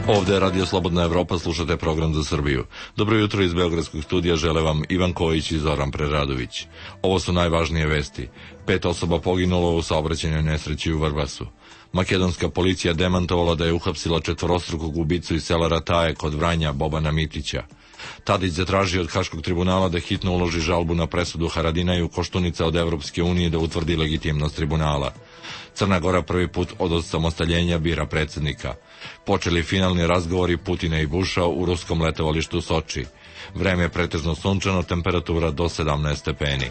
Ovde je Radio Slobodna Evropa, slušate program za Srbiju. Dobro jutro iz Beogradskog studija žele vam Ivan Kojić i Zoran Preradović. Ovo su najvažnije vesti. 5 osoba poginulo u saobraćajnoj nesreći u Vrbasu. Makedonska policija demantovala da je uhapsila četvorostrukog ubicu iz sela Rataje kod Vranja Bobana Mitića. Tadić zatražio od Haškog tribunala da hitno uloži žalbu na presudu Haradinaju Koštunica od Evropske unije da utvrdi legitimnost tribunala. Crna Gora prvi put od osamostaljenja bira predsjednika. Počeli finalni razgovori Putina i Buša u ruskom letovalištu Soči. Vreme je pretežno sunčano, temperatura do 17 stepeni.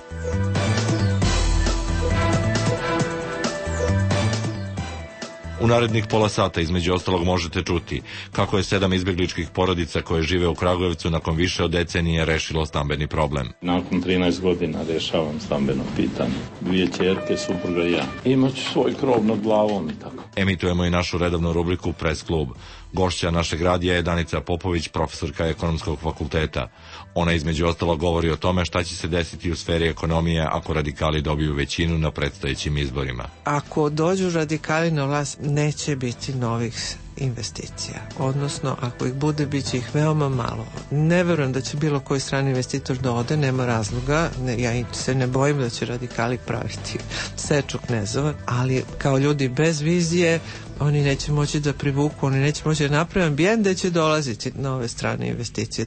U narednih pola sata između ostalog možete čuti kako je 7 izbjegličkih porodica koje žive u Kragujevcu nakon više od decenije rešilo stambeni problem. Nakon 13 godina rešavam stambeno pitanje. 2 ćerke, supruga i ja. Imaću svoj krov nad glavom i tako. Emitujemo i našu redovnu rubriku Press klub. Gošća našeg radija je Danica Popović, profesorka Ekonomskog fakulteta. Ona između ostalog govori o tome šta će se desiti u sferi ekonomije ako radikali dobiju većinu na predstojećim izborima. Ako dođu radikali na vlast, neće biti novih investicija. Odnosno, ako ih bude, bit će ih veoma malo. Ne verujem da će bilo koji strani investitor da ode, nema razloga. Ja se ne bojim da će radikali praviti seču knezova, ali kao ljudi bez vizije, oni neće moći da privuku, oni neće moći da naprave ambijent da će dolaziti nove strane investicije.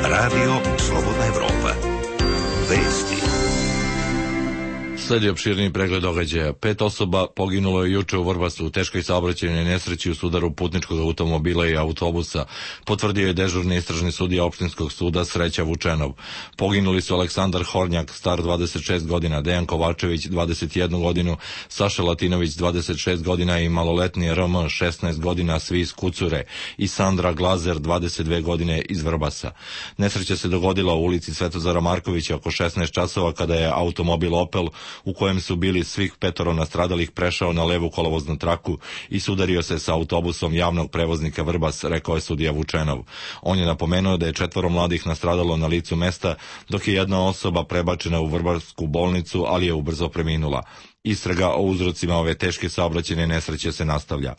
Radio Slobodna Evropa. Vesti. Sledi opširni pregled događaja. 5 osoba poginulo je juče u Vrbasu u teškoj saobraćajnoj nesreći u sudaru putničkog automobila i autobusa, potvrdio je dežurni istražni sudija opštinskog suda Sreća Vučenov. Poginuli su Aleksandar Hornjak, star 26 godina, Dejan Kovačević, 21 godinu, Saša Latinović, 26 godina i maloletni RM, 16 godina, svi iz Kucure, i Sandra Glazer, 22 godine, iz Vrbasa. Nesreća se dogodila u ulici Svetozara Markovića oko 16 časova kada je automobil Opel u kojem su bili svih 5 nastradalih prešao na levu kolovoznu traku i sudario se sa autobusom javnog prevoznika Vrbas, rekao je sudija Vučenov. On je napomenuo da je 4 mladih nastradalo na licu mesta, dok je jedna osoba prebačena u Vrbasku bolnicu, ali je ubrzo preminula. Istraga o uzrocima ove teške saobraćajne nesreće se nastavlja.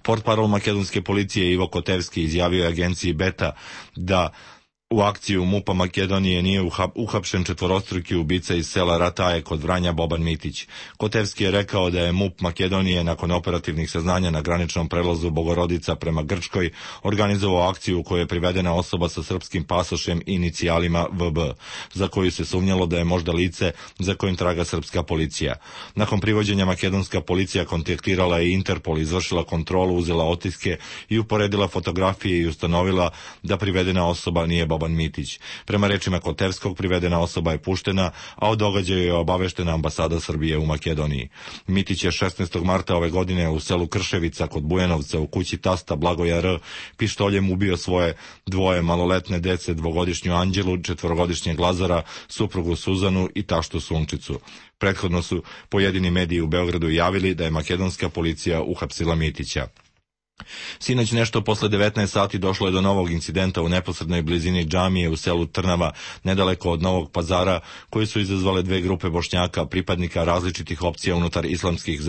Portparol makedonske policije Ivo Kotevski izjavio je agenciji Beta da u akciju MUP-a Makedonije nije uhapšen četvorostruki ubica iz sela Rataje kod Vranja Boban Mitić. Kotevski je rekao da je MUP Makedonije nakon operativnih saznanja na graničnom prelazu Bogorodica prema Grčkoj organizovao akciju u kojoj je privedena osoba sa srpskim pasošem i inicijalima VB, za koju se sumnjalo da je možda lice za kojim traga srpska policija. Nakon privođenja makedonska policija kontaktirala je Interpol, izvršila kontrolu, uzela otiske i uporedila fotografije i ustanovila da privedena osoba nije Boban Mitić. Prema rečima Kotevskog, privedena osoba je puštena, a o događaju je obaveštena ambasada Srbije u Makedoniji. Mitić je 16. marta ove godine u selu Krševica kod Bujanovca u kući tasta Blagoja R. pištoljem ubio svoje 2 maloletne dece, 2-godišnju Anđelu, 4-godišnjeg Lazara, suprugu Suzanu i taštu Sunčicu. Prethodno su pojedini mediji u Beogradu javili da je makedonska policija uhapsila Mitića. Sinoć nešto posle 19 sati došlo je do novog incidenta u neposrednoj blizini džamije u selu Trnava, nedaleko od Novog Pazara, koji su izazvale 2 grupe Bošnjaka, pripadnika različitih opcija unutar islamskih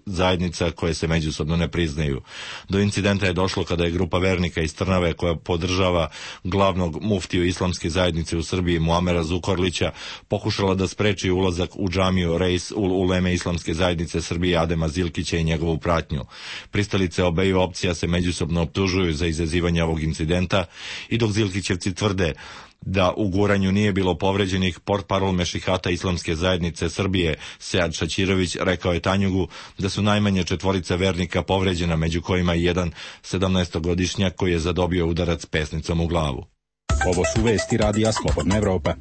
zajednica koje se međusobno ne priznaju. Do incidenta je došlo kada je grupa vernika iz Trnave, koja podržava glavnog muftiju islamske zajednice u Srbiji Muamera Zukorlića, pokušala da spreči ulazak u džamiju Reis ul Uleme islamske zajednice Srbije Adema Zilkića i njegovu pratnju. Pristalice obeju opcija se međusobno optužuju za izazivanje ovog incidenta i dok Zilkićevci tvrde da u guranju nije bilo povređenih, portparol Mešihata islamske zajednice Srbije Sead Šaćirović rekao je Tanjugu da su najmanje 4 vernika povređena, među kojima i jedan 17-godišnjak koji je zadobio udarac pesnicom u glavu. Ovo su vesti Radija Slobodna Evropa.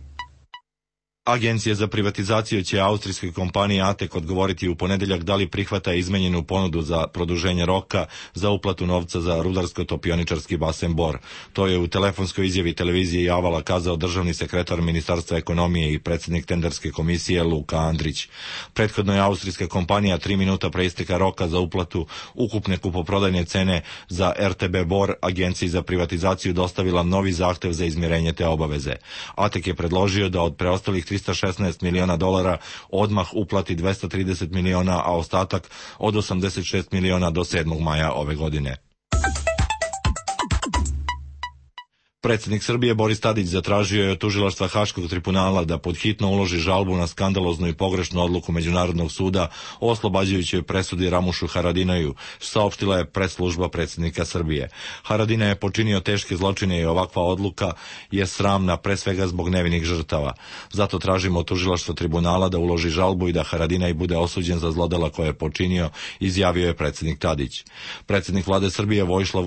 Agencija za privatizaciju će austrijskoj kompaniji ATEK odgovoriti u ponedeljak da li prihvata izmenjenu ponudu za produženje roka za uplatu novca za rudarsko-topioničarski basen Bor. To je u telefonskoj izjavi televizije Javala kazao državni sekretar Ministarstva ekonomije i predsjednik tenderske komisije Luka Andrić. Prethodno je austrijska kompanija 3 minuta pre isteka roka za uplatu ukupne kupoprodajne cene za RTB Bor agenciji za privatizaciju dostavila novi zahtev za izmirenje te obaveze. ATEK je predložio da od preostalih $316 miliona odmah uplati 230 miliona, a ostatak od 86 miliona do 7. maja ove godine. Predsjednik Srbije Boris Tadić zatražio je od tužilaštva Haškog tribunala da pod hitno uloži žalbu na skandaloznu i pogrešnu odluku Međunarodnog suda o oslobađajućoj presudi Ramušu Haradinaju, saopštila je press-služba predsjednika Srbije. Haradinaj je počinio teške zločine i ovakva odluka je sramna pre svega zbog nevinih žrtava. Zato tražimo od tužilaštva tribunala da uloži žalbu i da Haradinaj bude osuđen za zlodela koje je počinio, izjavio je predsjednik Tadić. Predsjednik vlade Srbije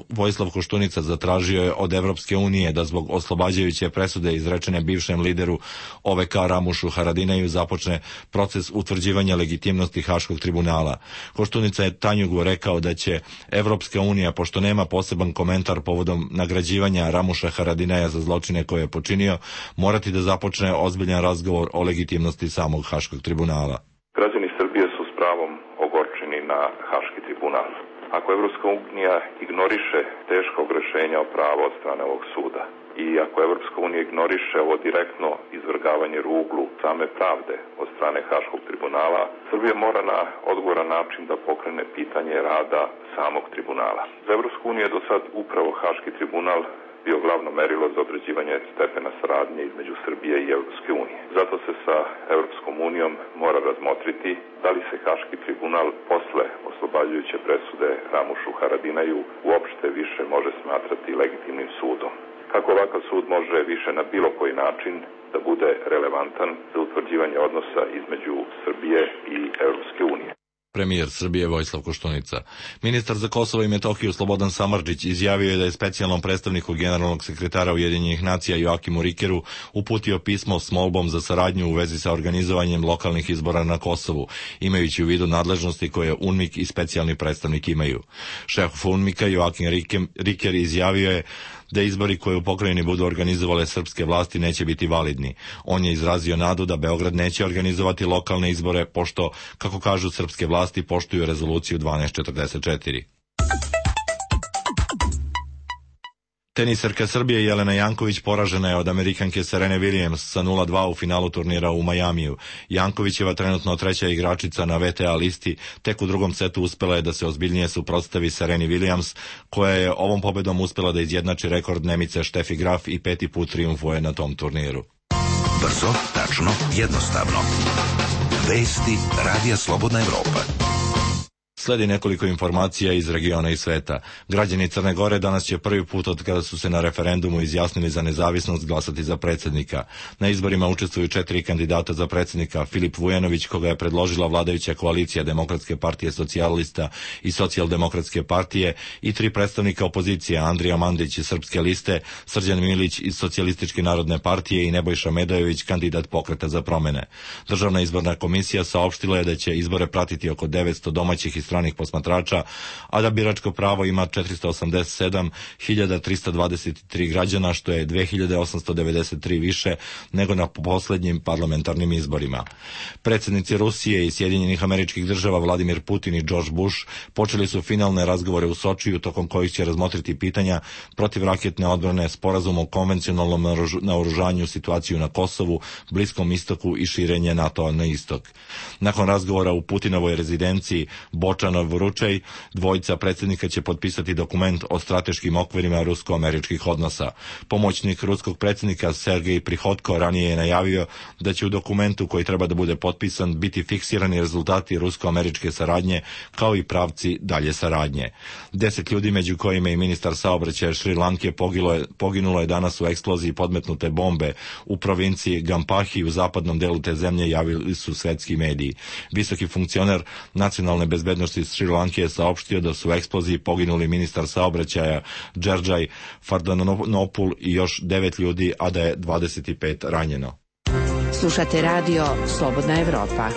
Vojislav Koštunica zatražio je od Evropske unije da zbog oslobađajuće presude izrečene bivšem lideru OVK Ramušu Haradinaju započne proces utvrđivanja legitimnosti Haškog tribunala. Koštunica je Tanjugu rekao da će Evropska unija, pošto nema poseban komentar povodom nagrađivanja Ramuša Haradinaja za zločine koje je počinio, morati da započne ozbiljan razgovor o legitimnosti samog Haškog tribunala. Građani Srbije su s pravom ogorčeni na Haški tribunal. Ako Evropska unija ignoriše teško rešenja o prava od strane ovog suda i ako Evropska unija ignoriše ovo direktno izvrgavanje ruglu same pravde od strane Haškog tribunala, Srbija mora na odgovoran način da pokrene pitanje rada samog tribunala. Za Evropsku uniju je do sad upravo Haški tribunal bio glavno merilo za određivanje stepena saradnje između Srbije i Evropske unije. Zato se sa Evropskom unijom mora razmotriti da li se Haški tribunal posle oslobađajuće presude Ramušu Haradinaju uopšte više može smatrati legitimnim sudom. Kako ovakav sud može više na bilo koji način da bude relevantan za utvrđivanje odnosa između Srbije i Evropske unije. Premijer Srbije Vojislav Koštunica. Ministar za Kosovo i Metohiju Slobodan Samardžić izjavio je da je specijalnom predstavniku generalnog sekretara Ujedinjenih nacija Joakimu Rikeru uputio pismo s molbom za saradnju u vezi sa organizovanjem lokalnih izbora na Kosovu, imajući u vidu nadležnosti koje UNMIK i specijalni predstavnik imaju. Šef UNMIK-a Joakim Riker izjavio je da izbori koje u pokrajini budu organizovale srpske vlasti neće biti validni. On je izrazio nadu da Beograd neće organizovati lokalne izbore, pošto, kako kažu srpske vlasti, poštuju rezoluciju 1244. Teniserka Srbije Jelena Janković poražena je od Amerikanke Serene Williams sa 0-2 u finalu turnira u Majamiju. Jankovićeva trenutno treća igračica na WTA listi, tek u drugom setu uspela je da se ozbiljnije suprotstavi Sereni Williams, koja je ovom pobedom uspela da izjednači rekord Nemice Štefi Graf i 5. put trijumfuje na tom turniru. Brzo, tačno, jednostavno. Vesti Radija Slobodna Evropa. Sledi nekoliko informacija iz regiona i sveta. Građani Crne Gore danas će prvi put od kada su se na referendumu izjasnili za nezavisnost glasati za predsjednika. Na izborima učestvuju 4 kandidata za predsjednika: Filip Vujanović, koga je predložila vladajuća koalicija Demokratske partije socijalista i Socijaldemokratske partije, i 3 predstavnika opozicije: Andrija Mandić iz Srpske liste, Srđan Milić iz Socijalističke narodne partije i Nebojša Medajović, kandidat Pokreta za promene. Državna izborna komisija saopštila je da će izbore pratiti oko 900 domaćih i stranih posmatrača, a da biračko pravo ima 487.323 građana, što je 2.893 više nego na poslednjim parlamentarnim izborima. Predsjednici Rusije i Sjedinjenih Američkih Država Vladimir Putin i George Bush počeli su finalne razgovore u Sočiju, tokom kojih će razmotriti pitanja protivraketne odbrane, sporazum o konvencionalnom naoružanju, situaciju na Kosovu, Bliskom istoku i širenje NATO-a na istok. Nakon razgovora u Putinovoj rezidenciji Bočanov-Ručej, dvojica predsjednika će potpisati dokument o strateškim okvirima rusko-američkih odnosa. Pomoćnik ruskog predsjednika Sergej Prihodko ranije je najavio da će u dokumentu koji treba da bude potpisan biti fiksirani rezultati rusko-američke saradnje, kao i pravci dalje saradnje. 10 ljudi, među kojima i ministar saobraćaja Šri Lanke, poginulo je danas u eksploziji podmetnute bombe u provinciji Gampahi u zapadnom delu te zemlje, javili su svetski mediji. Visoki funkcioner nacionalne bezbednosti iz Šri Lanke je saopštio da su u eksploziji poginuli ministar saobraćaja Đerđaj Fardanopul i još 9 ljudi, a da je 25 ranjeno. Slušate radio Slobodna Evropa.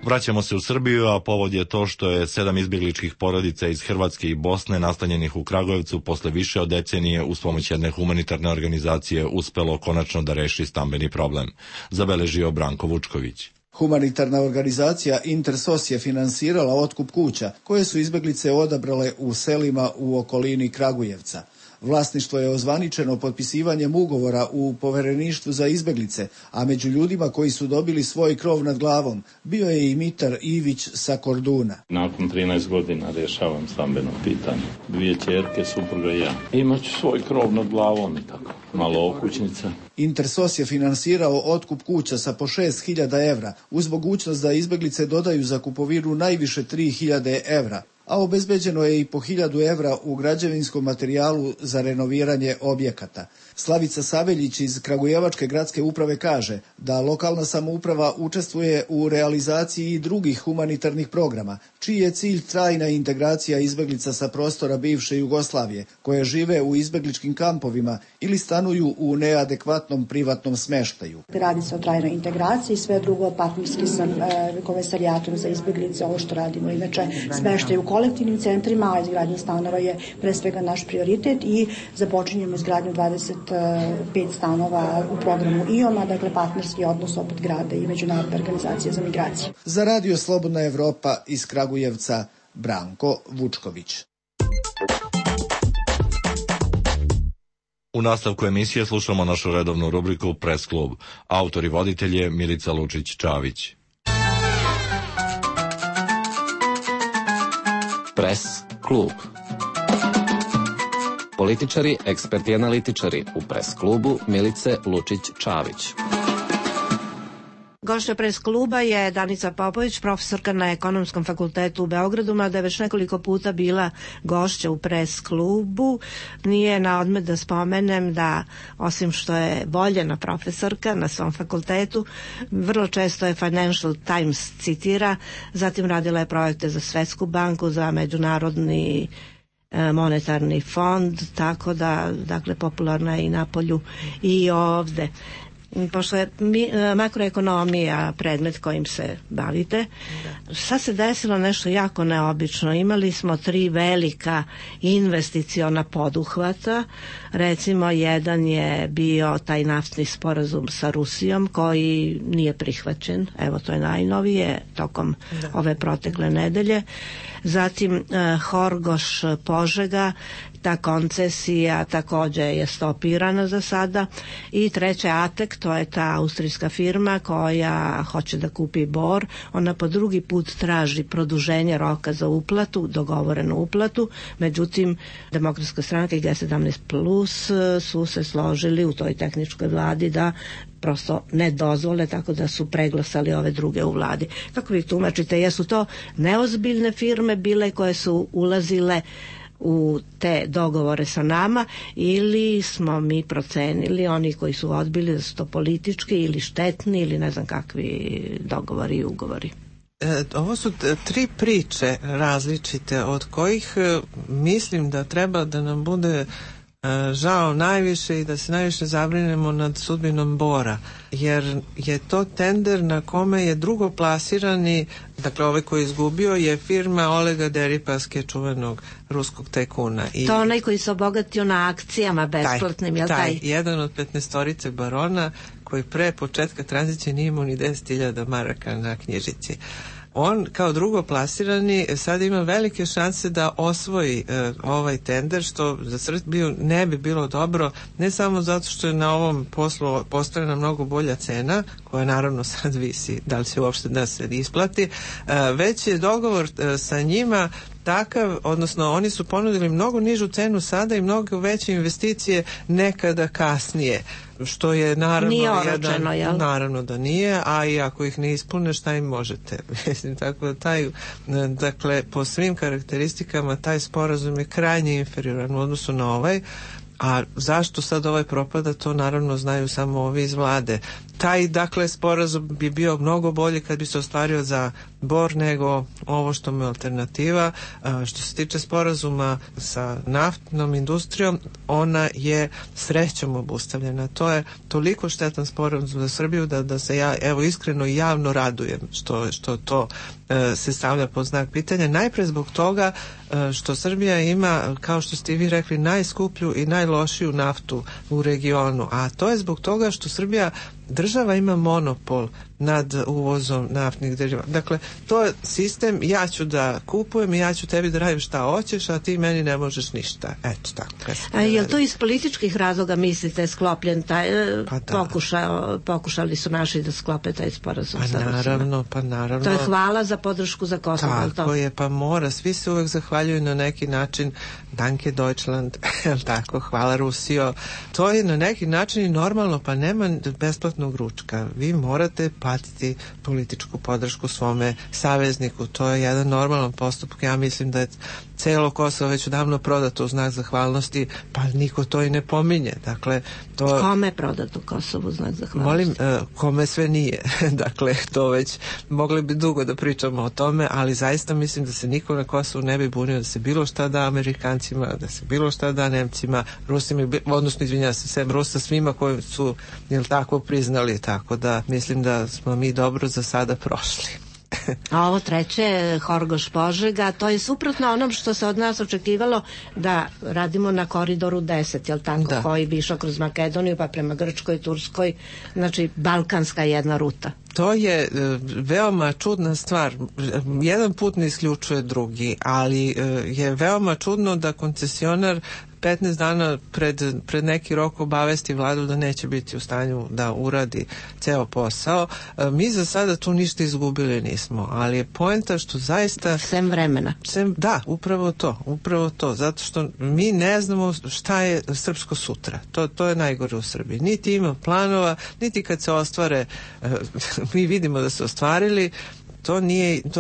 Vraćamo se u Srbiju, a povod je to što je 7 izbjegličkih porodica iz Hrvatske i Bosne nastanjenih u Kragujevcu posle više od decenije uz pomoć jedne humanitarne organizacije uspelo konačno da reši stambeni problem, zabeležio Branko Vučković. Humanitarna organizacija Intersos je finansirala otkup kuća koje su izbjeglice odabrale u selima u okolini Kragujevca. Vlasništvo je ozvaničeno potpisivanjem ugovora u Povereništvu za izbeglice, a među ljudima koji su dobili svoj krov nad glavom bio je i Mitar Ivić sa Korduna. Nakon 13 godina rješavam stambeno pitanje. 2 ćerke, supruga i ja. Imaću svoj krov nad glavom i tako. Malo okućnica. Intersos je finansirao otkup kuća sa po 6.000 evra, uz mogućnost da izbeglice dodaju za kupovinu najviše 3.000 evra, a obezbeđeno je i po 1.000 evra u građevinskom materijalu za renoviranje objekata. Slavica Saveljić iz Kragujevačke gradske uprave kaže da lokalna samouprava učestvuje u realizaciji i drugih humanitarnih programa, čiji je cilj trajna integracija izbeglica sa prostora bivše Jugoslavije, koje žive u izbegličkim kampovima ili stanuju u neadekvatnom privatnom smeštaju. Radi se o trajnoj integraciji, sve drugo partnerski sa Komesarijatom za izbeglice, ovo što radimo inače smeštaj u kolektivnim centrima, a izgradnja stanova je pre svega naš prioritet i započinjemo izgradnju 25 stanova u programu IOM-a, dakle partnerski odnos opet grada i Međunarodne organizacije za migraciju. Za Radio Slobodna Evropa iz Kragujevca, Branko Vučković. U nastavku emisije slušamo našu redovnu rubriku Press klub. Autor i voditelj je Milica Lučić-Čavić. Press klub. Političari, eksperti i analitičari u Press klubu Milice Lučić-Čavić. Gošća Press kluba je Danica Popović, profesorka na Ekonomskom fakultetu u Beogradu, mada je već nekoliko puta bila gošća u Press klubu. Nije na odmet da spomenem da, osim što je voljena profesorka na svom fakultetu, vrlo često je Financial Times citira, zatim radila je projekte za Svetsku banku, za Međunarodni monetarni fond, tako da, dakle, popularna je i na polju i ovde. Pošto je makroekonomija predmet kojim se bavite, sad se desilo nešto jako neobično. Imali smo 3 velika investiciona poduhvata. Recimo, jedan je bio taj naftni sporazum sa Rusijom koji nije prihvaćen. Evo, to je najnovije tokom ove protekle nedelje. Zatim Horgoš Požega, ta koncesija takođe je stopirana za sada. I treće Atek, to je ta austrijska firma koja hoće da kupi Bor. Ona po drugi put traži produženje roka za uplatu, dogovorenu uplatu. Međutim, Demokratska stranka i G17 Plus su se složili u toj tehničkoj vladi da prosto ne dozvole, tako da su preglasali ove druge u vladi. Kako vi tumačite, jesu to neozbiljne firme bile koje su ulazile u te dogovore sa nama, ili smo mi procenili, oni koji su odbili, da su to politički ili štetni ili ne znam kakvi dogovori i ugovori? Ovo su 3 priče različite, od kojih mislim da treba da nam bude žao najviše i da se najviše zabrinemo nad sudbinom Bora, jer je to tender na kome je drugoplasirani, dakle ovaj koji je izgubio, je firma Olega Deripaske, čuvenog ruskog tajkuna. To onaj koji se obogatio na akcijama besplatnim, je li taj? Jedan od 15-torice barona koji pre početka tranzicije nije imao ni 10.000 maraka na knjižici. On kao drugoplasirani sad ima velike šanse da osvoji ovaj tender, što za Srbiju ne bi bilo dobro, ne samo zato što je na ovom poslu postavljena mnogo bolja cena, koja naravno sad visi da li će uopšte da se isplati, već je dogovor sa njima takav, odnosno oni su ponudili mnogo nižu cenu sada i mnogo veće investicije nekada kasnije, što je naravno nije oročeno, jel? Naravno da nije, a i ako ih ne ispune, šta im možete? Mislim, tako da dakle, po svim karakteristikama taj sporazum je krajnje inferioran u odnosu na ovaj. A zašto sad ovaj propada, to naravno znaju samo ovi iz vlade. Taj, dakle, sporazum bi bio mnogo bolji kad bi se ostvario za Bor nego ovo što mu je alternativa. Što se tiče sporazuma sa naftnom industrijom, ona je srećom obustavljena. To je toliko štetan sporazum za Srbiju da se ja, evo, iskreno i javno radujem što to se stavlja pod znak pitanja. Najpre zbog toga što Srbija ima, kao što ste i vi rekli, najskuplju i najlošiju naftu u regionu, a to je zbog toga što Srbija država ima monopol nad uvozom naftnih derivata. Dakle, to je sistem, ja ću da kupujem i ja ću tebi da radim šta hoćeš, a ti meni ne možeš ništa. Eto tako. A je li to iz političkih razloga mislite sklopljen taj pokušali su naši da sklope taj sporazum? Pa naravno. To je hvala za podršku za Kosovo. Tako je, pa mora. Svi se uvek zahvaljuju na neki način. Danke Deutschland, tako, hvala Rusijo. To je na neki način i normalno, pa nema besplatnog ručka. Vi morate platiti političku podršku svome savezniku. To je jedan normalan postupak. Ja mislim da je celo Kosovo već odavno prodato u znak zahvalnosti, pa niko to i ne pominje. Dakle, to... Kome je prodato Kosovo u znak zahvalnosti? Molim, kome sve nije. Dakle, to već mogli bi dugo da pričamo o tome, ali zaista mislim da se niko na Kosovu ne bi bunio da se bilo šta da Amerikancima, da se bilo šta da Nemcima, Rusima, odnosno izvinjam se sem Rusa, svima koji su, jel tako, priznali, tako da mislim da smo mi dobro za sada prošli. A ovo treće, Horgoš Požega, to je suprotno onom što se od nas očekivalo da radimo na koridoru 10, jel tako, da, koji bi išao kroz Makedoniju pa prema Grčkoj, Turskoj, znači balkanska jedna ruta. To je veoma čudna stvar. Jedan put ne isključuje drugi, ali je veoma čudno da koncesionar 15 dana pred neki rok obavesti vladu da neće biti u stanju da uradi ceo posao. Mi za sada tu ništa izgubili nismo, ali je poenta što zaista... Sem vremena. Da, upravo to, zato što mi ne znamo šta je srpsko sutra. To je najgore u Srbiji. Niti ima planova, niti kad se ostvare, mi vidimo da se ostvarili, to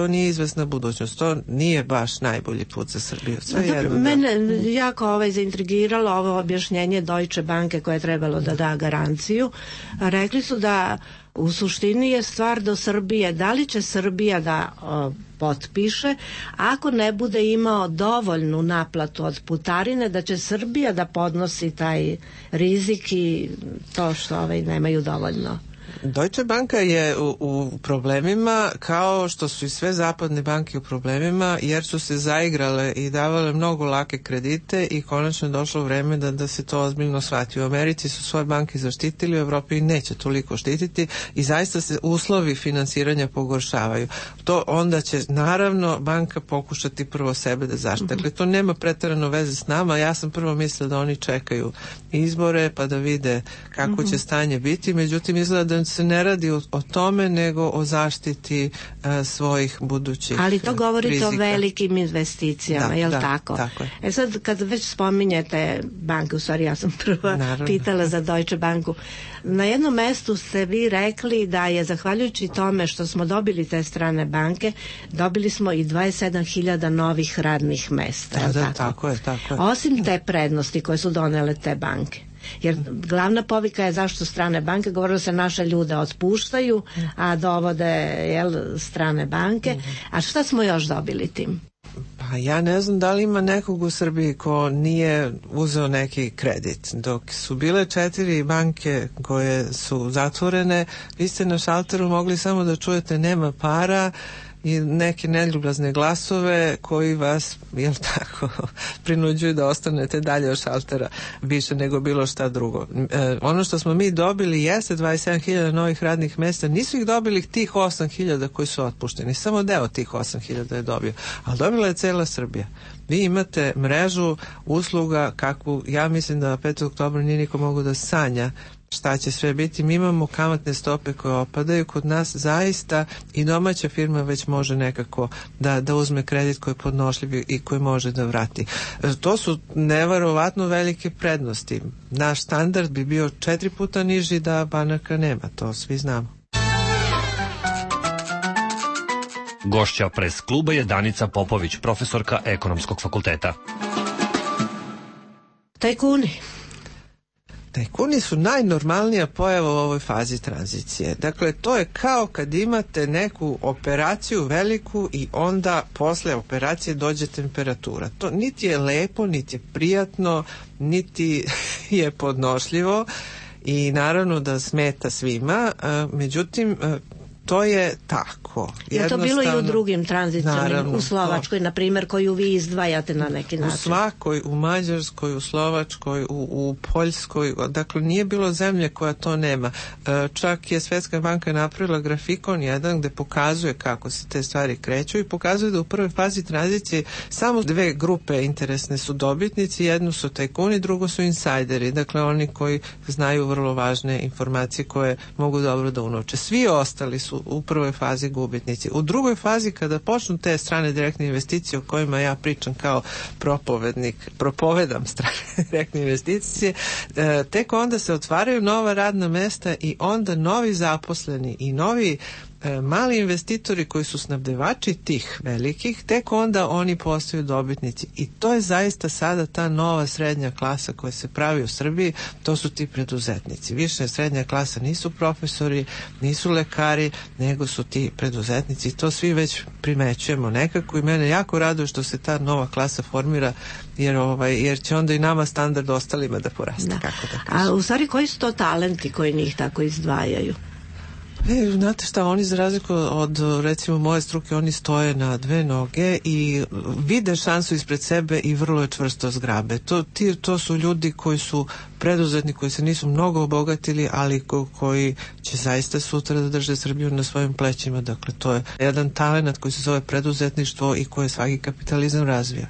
nije izvesna budućnost, to nije baš najbolji put za Srbiju. Mene jako zaintrigiralo ovo objašnjenje Deutsche Banke koje je trebalo da da garanciju. Rekli su da u suštini je stvar do Srbije, da li će Srbija da potpiše, ako ne bude imao dovoljnu naplatu od putarine, da će Srbija da podnosi taj rizik i to što nemaju dovoljno. Deutsche Banka je u problemima kao što su i sve zapadne banke u problemima, jer su se zaigrale i davale mnogo lake kredite i konačno je došlo vreme da se to ozbiljno shvati. U Americi su svoje banke zaštitili, u Evropi neće toliko štititi i zaista se uslovi finansiranja pogoršavaju. To onda će naravno banka pokušati prvo sebe da zaštite. Dakle, to nema preterano veze s nama. Ja sam prvo mislila da oni čekaju izbore pa da vide kako će stanje biti, međutim izgleda da se ne radi o tome nego o zaštiti svojih budućih ali to govorite rizika. O velikim investicijama, jel tako? Tako je. Sad kad već spominjete banke, u stvari ja sam prva pitala za Deutsche Banku, na jednom mestu ste vi rekli da je zahvaljujući tome što smo dobili te strane banke, dobili smo i 27.000 novih radnih mesta. Tako je. Osim te prednosti koje su donele te banke. Jer glavna povika je zašto strane banke, govorilo se naše ljude otpuštaju, a dovode strane banke. A šta smo još dobili tim? Pa ja ne znam da li ima nekog u Srbiji ko nije uzeo neki kredit. Dok su bile 4 banke koje su zatvorene, vi ste na šalteru mogli samo da čujete nema para i neke neljubazne glasove koji vas, jel tako, prinuđuju da ostanete dalje od šaltera više nego bilo šta drugo. Ono što smo mi dobili jeste 27.000 novih radnih mesta. Nisu ih dobili tih 8.000 koji su otpušteni. Samo deo tih 8.000 je dobio. Ali dobila je cela Srbija. Vi imate mrežu usluga kakvu, ja mislim da 5. oktobra nije niko mogu da sanja šta će sve biti. Mi imamo kamatne stope koje opadaju kod nas zaista i domaća firma već može nekako da uzme kredit koji je podnošljiv i koji može da vrati. To su neverovatno velike prednosti. Naš standard bi bio 4 puta niži da banaka nema, to svi znamo. Gošća Pres kluba je Danica Popović, profesorka Ekonomskog fakulteta. Tajkuni su najnormalnija pojava u ovoj fazi tranzicije. Dakle, to je kao kad imate neku operaciju veliku i onda posle operacije dođe temperatura. To niti je lepo, niti je prijatno, niti je podnošljivo i naravno da smeta svima. Međutim, To je tako. Je to bilo i u drugim tranzicionim, u Slovačkoj, na primjer, koju vi izdvajate na neki način? U svakoj, u Mađarskoj, u Slovačkoj, u Poljskoj, dakle nije bilo zemlje koja to nema. Čak je Svetska banka napravila grafikon jedan gde pokazuje kako se te stvari kreću i pokazuje da u prvoj fazi tranzicije samo dve grupe interesne su dobitnici, jednu su tajkuni, drugo su insajderi, dakle oni koji znaju vrlo važne informacije koje mogu dobro da unovče. Svi ostali su u prvoj fazi gubitnici. U drugoj fazi kada počnu te strane direktne investicije o kojima ja pričam kao propovedam strane direktne investicije, tek onda se otvaraju nova radna mesta i onda novi zaposleni i novi mali investitori koji su snabdevači tih velikih, tek onda oni postaju dobitnici. I to je zaista sada ta nova srednja klasa koja se pravi u Srbiji, to su ti preduzetnici. Više srednja klasa nisu profesori, nisu lekari, nego su ti preduzetnici. I to svi već primećujemo nekako i mene jako raduje što se ta nova klasa formira, jer će onda i nama standard ostalima da poraste. Da. Kako da kažem. A u stvari koji su to talenti koji njih tako izdvajaju? Znate šta, oni za razliku od recimo moje struke, oni stoje na dve noge i vide šansu ispred sebe i vrlo je čvrsto zgrabe. To su ljudi koji su preduzetni, koji se nisu mnogo obogatili, ali koji će zaista sutra da drže Srbiju na svojim plećima. Dakle, to je jedan talent koji se zove preduzetništvo i koji svaki kapitalizam razvija.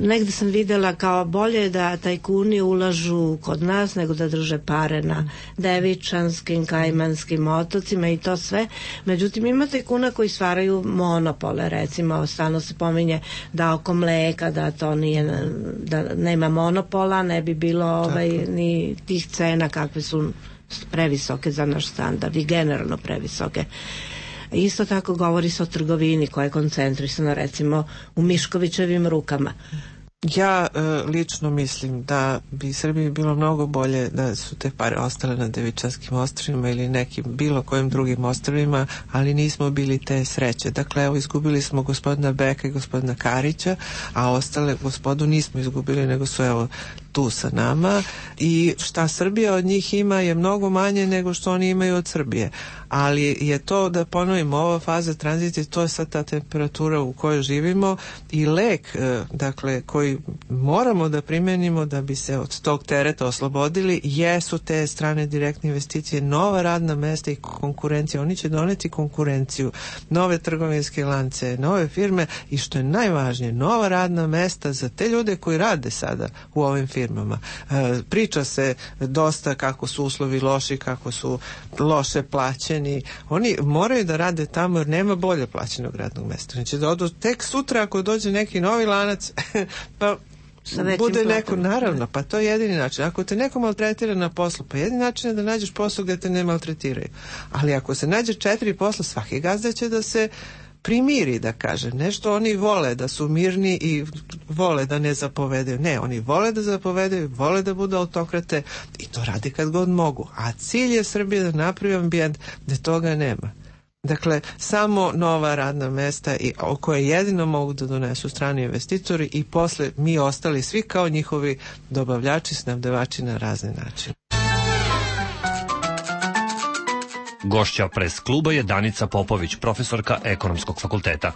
Negde sam videla kao bolje da tajkuni ulažu kod nas nego da drže pare na Devičanskim, Kajmanskim otocima i to sve. Međutim, ima tajkuna koji stvaraju monopole, recimo stalno se pominje da oko mleka, da to nije, da nema monopola, ne bi bilo ni tih cena kakve su previsoke za naš standard i generalno previsoke. Isto tako govori se o trgovini koja je koncentrisana recimo u Miškovićevim rukama. Ja lično mislim da bi Srbiji bilo mnogo bolje da su te pare ostale na Devičanskim ostrvima ili nekim bilo kojim drugim ostrvima, ali nismo bili te sreće. Dakle, evo, izgubili smo gospodina Beka i gospodina Karića, a ostale gospodu nismo izgubili, nego su evo tu sa nama i šta Srbija od njih ima je mnogo manje nego što oni imaju od Srbije. Ali je to, da ponovimo, ova faza tranzicije, to je sad ta temperatura u kojoj živimo i lek, dakle, koji moramo da primenimo da bi se od tog tereta oslobodili, jesu te strane direktne investicije, nova radna mesta i konkurencija. Oni će doneti konkurenciju, nove trgovinske lance, nove firme i što je najvažnije, nova radna mesta za te ljude koji rade sada u ovim firmama. Priča se dosta kako su uslovi loši, kako su loše plaćeni. Oni moraju da rade tamo jer nema bolje plaćenog radnog mesta. Znači da odu tek sutra ako dođe neki novi lanac pa bude neko, naravno, pa to je jedini način. Ako te neko maltretira na poslu, pa jedini način je da nađeš posao gde te ne maltretiraju. Ali ako se nađe 4 posla, svaki gazda će da se primiri, da kaže. Nešto oni vole da su mirni i vole da ne zapovedaju. Ne, oni vole da zapovedaju, vole da budu autokrate i to radi kad god mogu. A cilj je Srbije da napravi ambijent gde toga nema. Dakle, samo nova radna mesta i koje jedino mogu da donesu strani investitori i posle mi ostali svi kao njihovi dobavljači, snabdevači na razne načine. Gošća Pres kluba je Danica Popović, profesorka Ekonomskog fakulteta.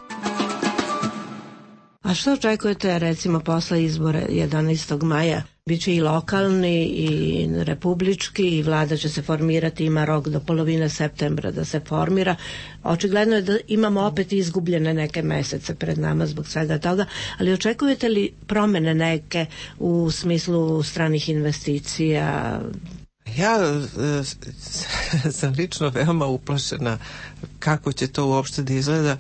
A što očekujete recimo posle izbora 11. maja? Biće i lokalni i republički i vlada će se formirati, ima rok do polovine septembra da se formira. Očigledno je da imamo opet izgubljene neke mesece pred nama zbog svega toga, ali očekujete li promene neke u smislu stranih investicija? Ja sam lično veoma uplašena kako će to uopšte da izgleda,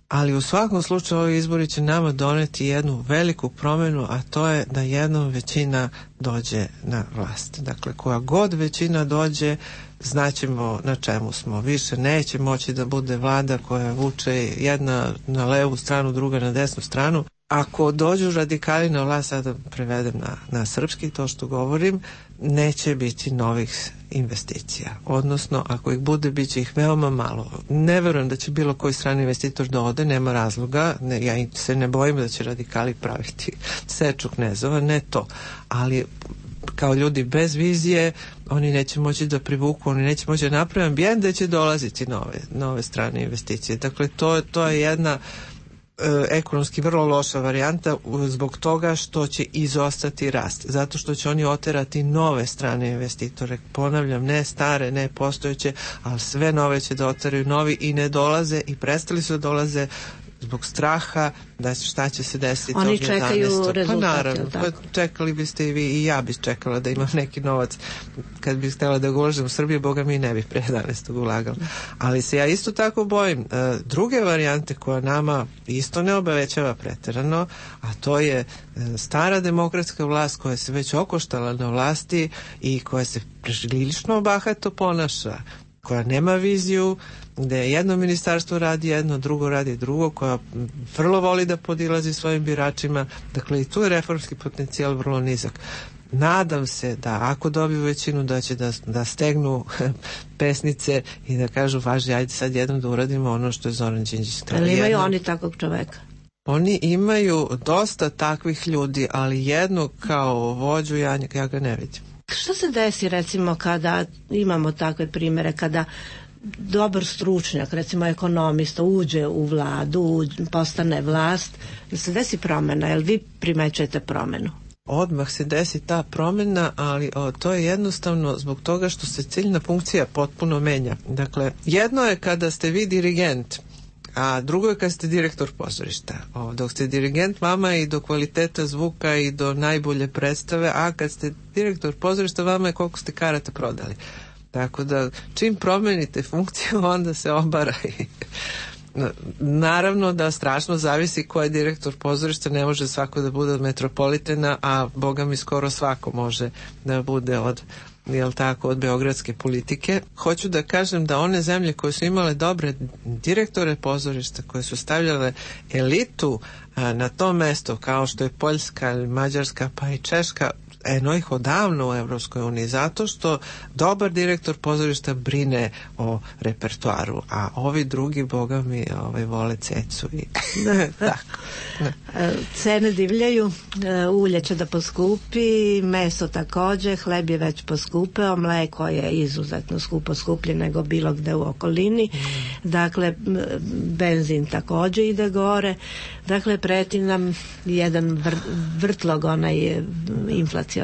ali u svakom slučaju ovi izbori će nama doneti jednu veliku promenu, a to je da jednom većina dođe na vlast. Dakle, koja god većina dođe, znaćemo na čemu smo. Više neće moći da bude vlada koja vuče jedna na levu stranu, druga na desnu stranu. Ako dođu radikali na vlast, sada prevedem na srpski to što govorim, neće biti novih investicija. Odnosno, ako ih bude, bit će ih veoma malo. Ne verujem da će bilo koji strani investitor da ode, nema razloga. Ja se ne bojim da će radikali praviti seču knezova, ne to. Ali kao ljudi bez vizije, oni neće moći da privuku, oni neće moći da naprave ambijent da će dolaziti nove strane investicije. Dakle, to je jedna ekonomski vrlo loša varijanta zbog toga što će izostati rast, zato što će oni oterati nove strane investitore, ponavljam, ne stare, ne postojeće, ali sve nove će da oteraju novi i ne dolaze i prestali su da dolaze zbog straha da šta će se desiti. Oni čekaju rezultate. Pa naravno, čekali biste i vi i ja bih čekala da imam neki novac. Kad bih htjela da ga uložim u Srbiju, Boga mi ne bih pre 11. ulagala. Ali se ja isto tako bojim druge varijante koja nama isto ne obavećava preterano, a to je stara demokratska vlast koja se već okoštala na vlasti i koja se prilično bahato ponaša, koja nema viziju, gde jedno ministarstvo radi jedno, drugo radi drugo, koja vrlo voli da podilazi svojim biračima. Dakle, i tu je reformski potencijal vrlo nizak. Nadam se da ako dobiju većinu da će da stegnu pesnice i da kažu važi, ajde sad jednom da uradimo ono što je Zoran Đinđić. Ali imaju oni takvog čoveka? Oni imaju dosta takvih ljudi, ali jednog kao vođu ja ga ne vidim. Što se desi recimo kada imamo takve primere, kada dobar stručnjak, recimo ekonomista, uđe u vladu, postane vlast, da se desi promjena, jel vi primećujete promjenu? Odmah se desi ta promjena, ali to je jednostavno zbog toga što se ciljna funkcija potpuno menja. Dakle, jedno je kada ste vi dirigent, a drugo je kad ste direktor pozorišta. Dok ste dirigent, vama je i do kvaliteta zvuka i do najbolje predstave, a kad ste direktor pozorišta, vama je koliko ste karata prodali. Tako da čim promenite funkciju, onda se obara. Naravno da strašno zavisi ko je direktor pozorišta, ne može svako da bude od Metropolitena, a Boga mi skoro svako može da bude od beogradske politike. Hoću da kažem da one zemlje koje su imale dobre direktore pozorišta, koje su stavljale elitu na to mesto, kao što je Poljska, Mađarska pa i Češka, eno ih odavno u Evropskoj uniji, zato što dobar direktor pozorišta brine o repertoaru, a ovi drugi, Boga mi, vole cecu i tako. Cene divljaju, ulje će da poskupi, meso takođe, hleb je već poskupeo, mleko je izuzetno skuplje nego bilo gde u okolini, dakle benzin takođe ide gore, dakle preti nam jedan vrtlog onaj inflacioni.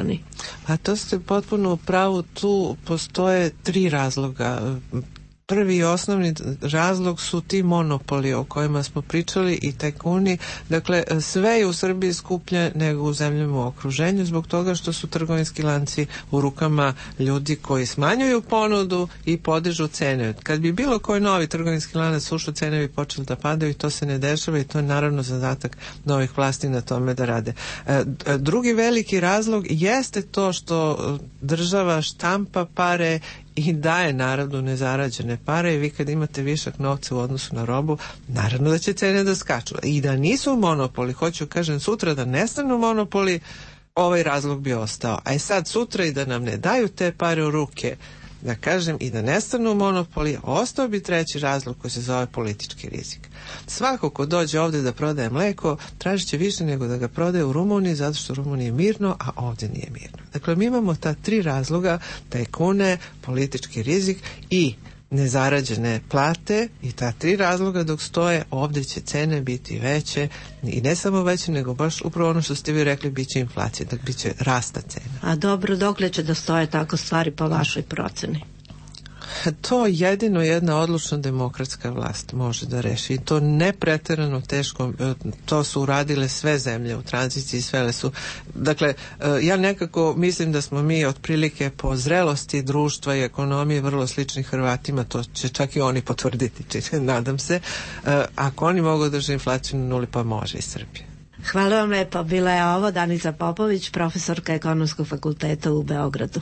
A to ste potpuno u pravu, tu postoje 3 razloga. Prvi i osnovni razlog su ti monopoli o kojima smo pričali i tajkuni. Dakle, sve je u Srbiji skuplje nego u zemljama u okruženju zbog toga što su trgovinski lanci u rukama ljudi koji smanjuju ponudu i podižu cene. Kad bi bilo koji novi trgovinski lanac ušao, cene bi počeli da padaju i to se ne dešava i to je naravno zadatak novih vlasti na tome da rade. Drugi veliki razlog jeste to što država štampa pare i daje narodu nezarađene pare i vi kad imate višak novca u odnosu na robu, naravno da će cene da skaču. I da nisu monopoli, hoću kažem sutra da nestanu monopoli, ovaj razlog bi ostao. A sad sutra i da nam ne daju te pare u ruke, da kažem, i da nestanu monopoli, ostao bi treći razlog koji se zove politički rizik. Svako ko dođe ovdje da prodaje mleko, tražit će više nego da ga prodaje u Rumuniji, zato što u Rumuniji je mirno, a ovdje nije mirno. Dakle, mi imamo ta 3 razloga, tajkune, politički rizik i nezarađene plate, i ta 3 razloga dok stoje, ovdje će cene biti veće, i ne samo veće, nego baš upravo ono što ste vi rekli, bit će inflacija, dakle bit će rasta cena. A dobro, dokle će da stoje tako stvari po vašoj proceni? To jedino jedna odlučna demokratska vlast može da reši i to ne preterano teško. To su uradile sve zemlje u tranziciji, svele su. Dakle, ja nekako mislim da smo mi otprilike po zrelosti društva i ekonomije vrlo slični Hrvatima, to će čak i oni potvrditi, nadam se. Ako oni mogu držati inflaciju na nuli, pa može i Srbija. Hvala vam lepo, bila je ovo Danica Popović, profesorka Ekonomskog fakulteta u Beogradu.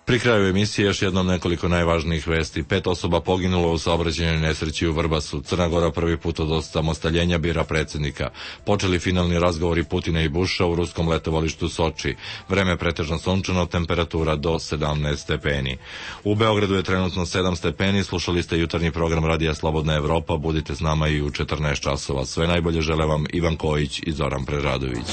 Pri kraju emisije još jednom nekoliko najvažnijih vesti. 5 osoba poginulo u saobraćajnoj nesreći u Vrbasu. Crna Gora prvi put od osamostaljenja bira predsjednika. Počeli finalni razgovori Putina i Buša u ruskom letovalištu Soči. Vreme pretežno sunčano, temperatura do 17 stepeni. U Beogradu je trenutno 7 stepeni. Slušali ste jutarnji program Radija Slobodna Evropa. Budite s nama i u 14 časova. Sve najbolje žele vam Ivan Kojić i Zoran Preradović.